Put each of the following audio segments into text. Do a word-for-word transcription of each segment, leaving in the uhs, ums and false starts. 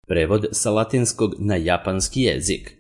Prevod sa latinskog na japanski jezik.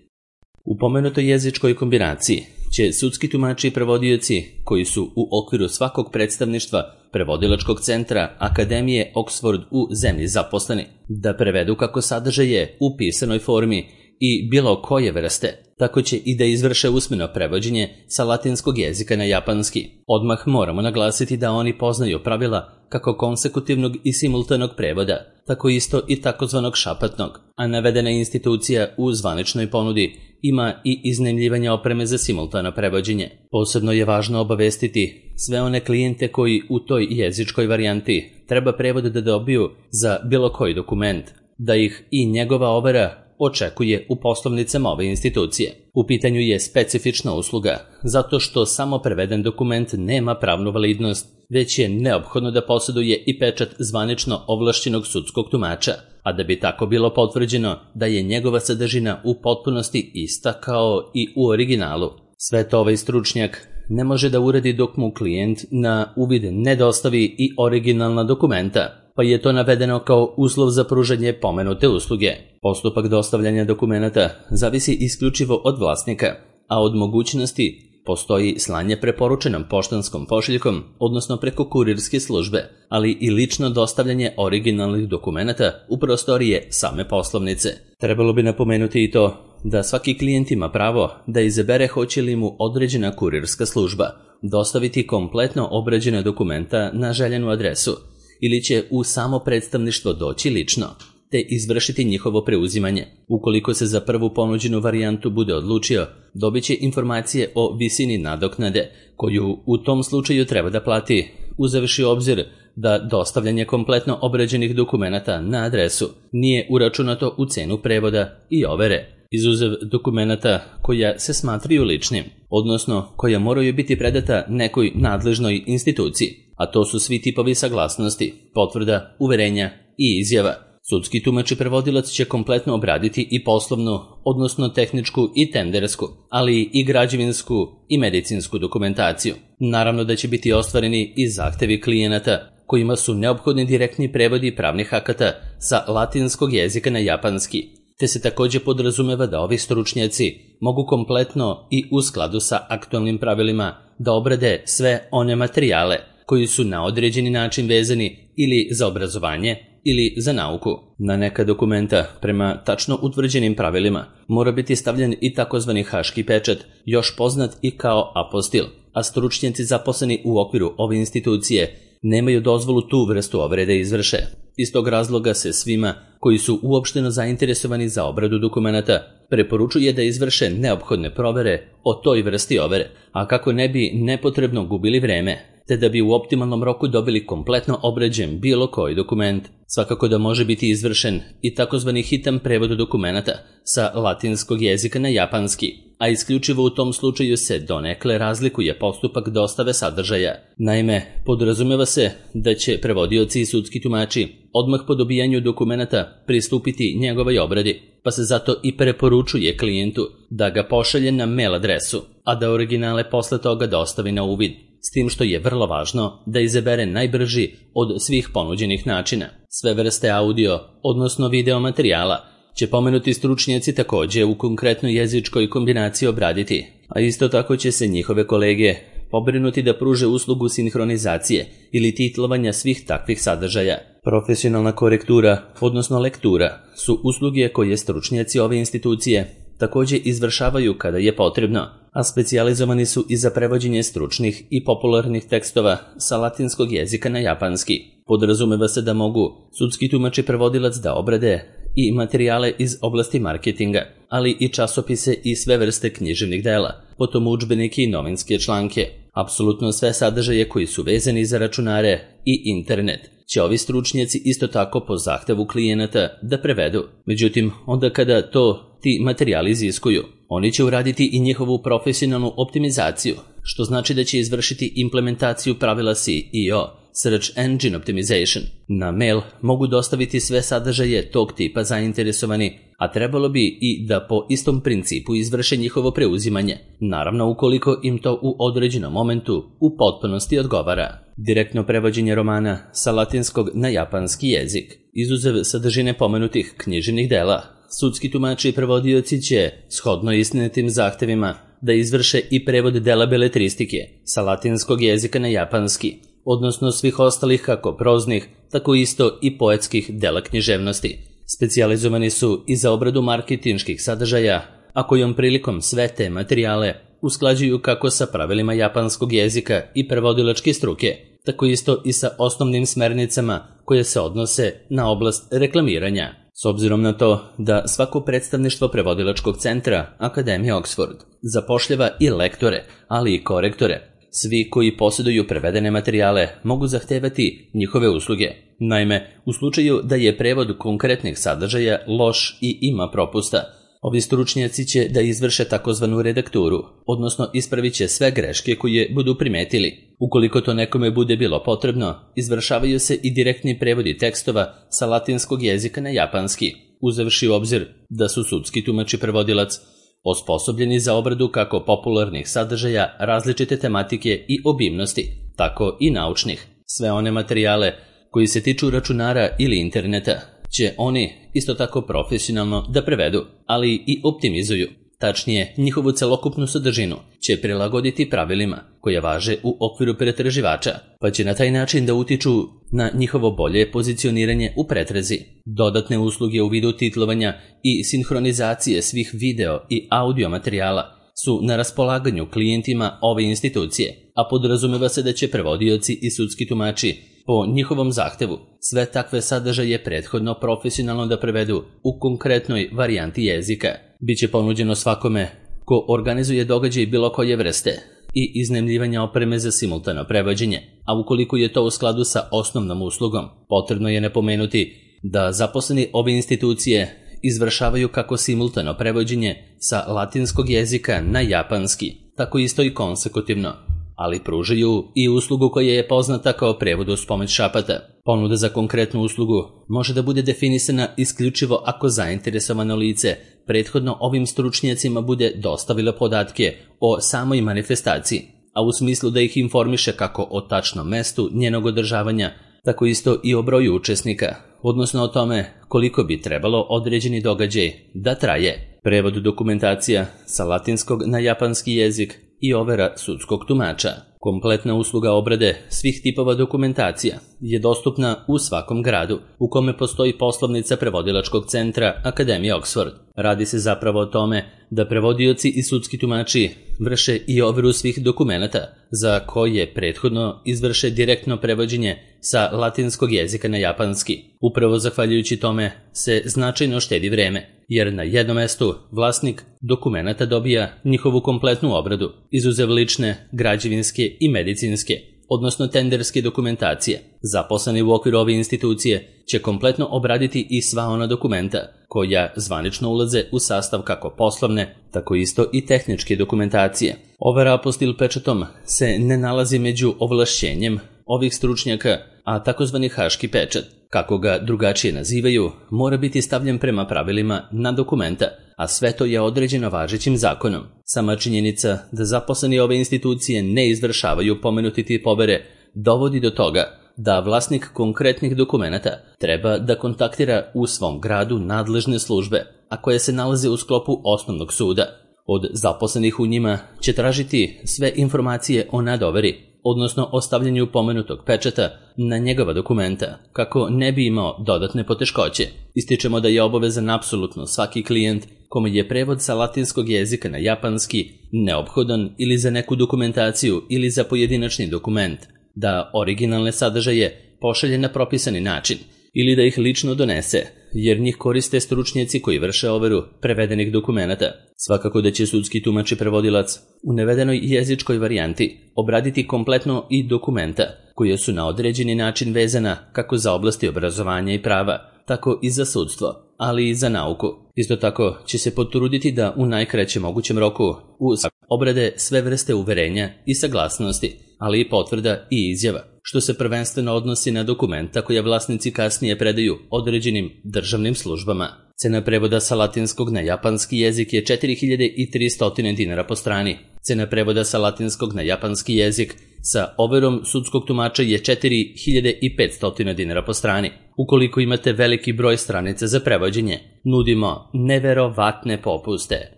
U pomenutoj jezičkoj kombinaciji će sudski tumači i prevodioci koji su u okviru svakog predstavništva prevodilačkog centra Akademije Oxford u zemlji zaposleni da prevedu kako sadržaje u pisanoj formi i bilo koje vrste, tako će i da izvrše usmeno prevođenje sa latinskog jezika na japanski. Odmah moramo naglasiti da oni poznaju pravila kako konsekutivnog i simultanog prevoda, tako isto i takozvanog šapatnog, a navedena institucija u zvaničnoj ponudi ima i iznajmljivanje opreme za simultano prevođenje. Posebno je važno obavestiti sve one klijente koji u toj jezičkoj varijanti treba prevod da dobiju za bilo koji dokument, da ih i njegova overa očekuje u poslovnicama ove institucije. U pitanju je specifična usluga, zato što samo preveden dokument nema pravnu validnost, već je neophodno da posjeduje i pečat zvanično ovlašćenog sudskog tumača, a da bi tako bilo potvrđeno da je njegova sadržina u potpunosti ista kao i u originalu. Sve to ovaj stručnjak ne može da uradi dok mu klijent na uvid ne dostavi i originalna dokumenta, pa je to navedeno kao uslov za pružanje pomenute usluge. Postupak dostavljanja dokumenata zavisi isključivo od vlasnika, a od mogućnosti postoji slanje preporučenom poštanskom pošiljkom, odnosno preko kurirske službe, ali i lično dostavljanje originalnih dokumenata u prostorije same poslovnice. Trebalo bi napomenuti i to da svaki klijent ima pravo da izabere hoće li mu određena kurirska služba dostaviti kompletno obrađene dokumenta na željenu adresu ili će u samo predstavništvo doći lično, te izvršiti njihovo preuzimanje. Ukoliko se za prvu ponuđenu varijantu bude odlučio, dobit će informacije o visini nadoknade, koju u tom slučaju treba da plati, uzevši obzir da dostavljanje kompletno obrađenih dokumenata na adresu nije uračunato u cenu prevoda i overe, izuzev dokumenata koja se smatraju ličnim, odnosno koja moraju biti predata nekoj nadležnoj instituciji, a to su svi tipovi saglasnosti, potvrda, uverenja i izjava. Sudski tumač i prevodilac će kompletno obraditi i poslovnu, odnosno tehničku i tendersku, ali i građevinsku i medicinsku dokumentaciju. Naravno da će biti ostvareni i zahtevi klijenata, kojima su neophodni direktni prevodi pravnih akata sa latinskog jezika na japanski, te se također podrazumeva da ovi stručnjaci mogu kompletno i u skladu sa aktualnim pravilima da obrade sve one materijale koji su na određeni način vezani ili za obrazovanje ili za nauku. Na neka dokumenta, prema tačno utvrđenim pravilima, mora biti stavljen i takozvani haški pečat, još poznat i kao apostil, a stručnjaci zaposleni u okviru ove institucije nemaju dozvolu tu vrstu overe da izvrše. Iz tog razloga se svima koji su uopšteno zainteresovani za obradu dokumenata preporučuje da izvrše neophodne provere o toj vrsti overe, a kako ne bi nepotrebno gubili vreme, te da bi u optimalnom roku dobili kompletno obrađen bilo koji dokument. Svakako da može biti izvršen i takozvani hitan prevod dokumenata sa latinskog jezika na japanski, a isključivo u tom slučaju se donekle razlikuje postupak dostave sadržaja. Naime, podrazumeva se da će prevodioci i sudski tumači odmah po dobijanju dokumenata pristupiti njegovoj obradi, pa se zato i preporučuje klijentu da ga pošalje na mail adresu, a da originale posle toga dostavi na uvid, s tim što je vrlo važno da izabere najbrži od svih ponuđenih načina. Sve vrste audio, odnosno video materijala, će pomenuti stručnjaci također u konkretnoj jezičkoj kombinaciji obraditi, a isto tako će se njihove kolege pobrinuti da pruže uslugu sinhronizacije ili titlovanja svih takvih sadržaja. Profesionalna korektura, odnosno lektura, su usluge koje stručnjaci ove institucije također izvršavaju kada je potrebno, a specijalizovani su i za prevođenje stručnih i popularnih tekstova sa latinskog jezika na japanski. Podrazumeva se da mogu sudski tumač i prevodilac da obrade i materijale iz oblasti marketinga, ali i časopise i sve vrste književnih dela, potom udžbenike i novinske članke. Apsolutno sve sadržaje koji su vezani za računare i internet će ovi stručnjaci isto tako po zahtevu klijenata da prevedu. Međutim, onda kada to ti materijali iziskuju, oni će uraditi i njihovu profesionalnu optimizaciju, što znači da će izvršiti implementaciju pravila S E O, Search Engine Optimization. Na mail mogu dostaviti sve sadržaje tog tipa zainteresovani, a trebalo bi i da po istom principu izvrše njihovo preuzimanje, naravno ukoliko im to u određenom momentu u potpunosti odgovara. Direktno prevođenje romana sa latinskog na japanski jezik, izuzev sadržine pomenutih književnih dela, sudski tumači i prevodioci će, shodno istinitim zahtevima, da izvrše i prevod dela beletristike sa latinskog jezika na japanski, odnosno svih ostalih kako proznih, tako isto i poetskih dela književnosti. Specijalizovani su i za obradu marketinških sadržaja, a kojom prilikom sve te materijale usklađuju kako sa pravilima japanskog jezika i prevodilačke struke, tako isto i sa osnovnim smernicama koje se odnose na oblast reklamiranja. S obzirom na to da svako predstavništvo prevodilačkog centra Akademije Oxford zapošljava i lektore, ali i korektore, svi koji posjeduju prevedene materijale mogu zahtevati njihove usluge. Naime, u slučaju da je prevod konkretnih sadržaja loš i ima propusta, ovi stručnjaci će da izvrše takozvanu redakturu, odnosno ispravit će sve greške koje budu primetili. Ukoliko to nekome bude bilo potrebno, izvršavaju se i direktni prevodi tekstova sa latinskog jezika na japanski, uzevši u obzir da su sudski tumač i prevodilac osposobljeni za obradu kako popularnih sadržaja različite tematike i obimnosti, tako i naučnih. Sve one materijale koji se tiču računara ili interneta će oni isto tako profesionalno da prevedu, ali i optimizuju. Tačnije, njihovu celokupnu sadržinu će prilagoditi pravilima koje važe u okviru pretraživača, pa će na taj način da utiču na njihovo bolje pozicioniranje u pretrazi. Dodatne usluge u vidu titlovanja i sinhronizacije svih video i audio materijala su na raspolaganju klijentima ove institucije, a podrazumeva se da će prevodioci i sudski tumači po njihovom zahtevu sve takve sadržaje prethodno profesionalno da prevedu u konkretnoj varijanti jezika. Biće ponuđeno svakome ko organizuje događaj bilo koje vrste i iznajmljivanja opreme za simultano prevođenje, a ukoliko je to u skladu sa osnovnom uslugom, potrebno je napomenuti da zaposleni ove institucije izvršavaju kako simultano prevođenje sa latinskog jezika na japanski, tako isto i konsekutivno, ali pružaju i uslugu koja je poznata kao prevod uz pomoć šapata. Ponuda za konkretnu uslugu može da bude definisana isključivo ako zainteresovano lice prethodno ovim stručnjacima bude dostavilo podatke o samoj manifestaciji, a u smislu da ih informiše kako o tačnom mestu njenog održavanja, tako isto i o broju učesnika, odnosno o tome koliko bi trebalo određeni događaj da traje. Prevod dokumentacija sa latinskog na japanski jezik i overa sudskog tumača. Kompletna usluga obrade svih tipova dokumentacija je dostupna u svakom gradu u kome postoji poslovnica prevodilačkog centra Akademije Oxford. Radi se zapravo o tome da prevodioci i sudski tumači vrše i overu svih dokumenata za koje prethodno izvrše direktno prevođenje sa latinskog jezika na japanski. Upravo zahvaljujući tome se značajno štedi vreme, jer na jednom mestu vlasnik dokumenata dobija njihovu kompletnu obradu, izuzev lične, građevinske i medicinske, odnosno tenderske dokumentacije. Zaposleni u okviru ove institucije će kompletno obraditi i sva ona dokumenta koja zvanično ulaze u sastav kako poslovne, tako isto i tehničke dokumentacije. Overa apostil pečatom se ne nalazi među ovlašćenjem ovih stručnjaka, a takozvani haški pečat, kako ga drugačije nazivaju, mora biti stavljen prema pravilima na dokumenta, a sve to je određeno važećim zakonom. Sama činjenica da zaposleni ove institucije ne izvršavaju pomenuti tip overe dovodi do toga da vlasnik konkretnih dokumenata treba da kontaktira u svom gradu nadležne službe, a koje se nalaze u sklopu osnovnog suda. Od zaposlenih u njima će tražiti sve informacije o nadoveri, odnosno o stavljanju pomenutog pečata na njegova dokumenta, kako ne bi imao dodatne poteškoće. Ističemo da je obavezan apsolutno svaki klijent kome je prevod sa latinskog jezika na japanski neophodan ili za neku dokumentaciju ili za pojedinačni dokument, da originalne sadržaje pošalje na propisani način ili da ih lično donese, jer njih koriste stručnjaci koji vrše overu prevedenih dokumenata. Svakako da će sudski tumač i prevodilac u navedenoj jezičkoj varijanti obraditi kompletno i dokumenta koje su na određeni način vezana kako za oblasti obrazovanja i prava, tako i za sudstvo, ali i za nauku. Isto tako će se potruditi da u najkraćem mogućem roku uz obrade sve vrste uverenja i saglasnosti, ali i potvrda i izjava, što se prvenstveno odnosi na dokumenta koje vlasnici kasnije predaju određenim državnim službama. Cena prevoda sa latinskog na japanski jezik je četiri hiljade tristo dinara po strani. Cena prevoda sa latinskog na japanski jezik sa overom sudskog tumača je četiri hiljade petsto dinara po strani. Ukoliko imate veliki broj stranica za prevođenje, nudimo neverovatne popuste.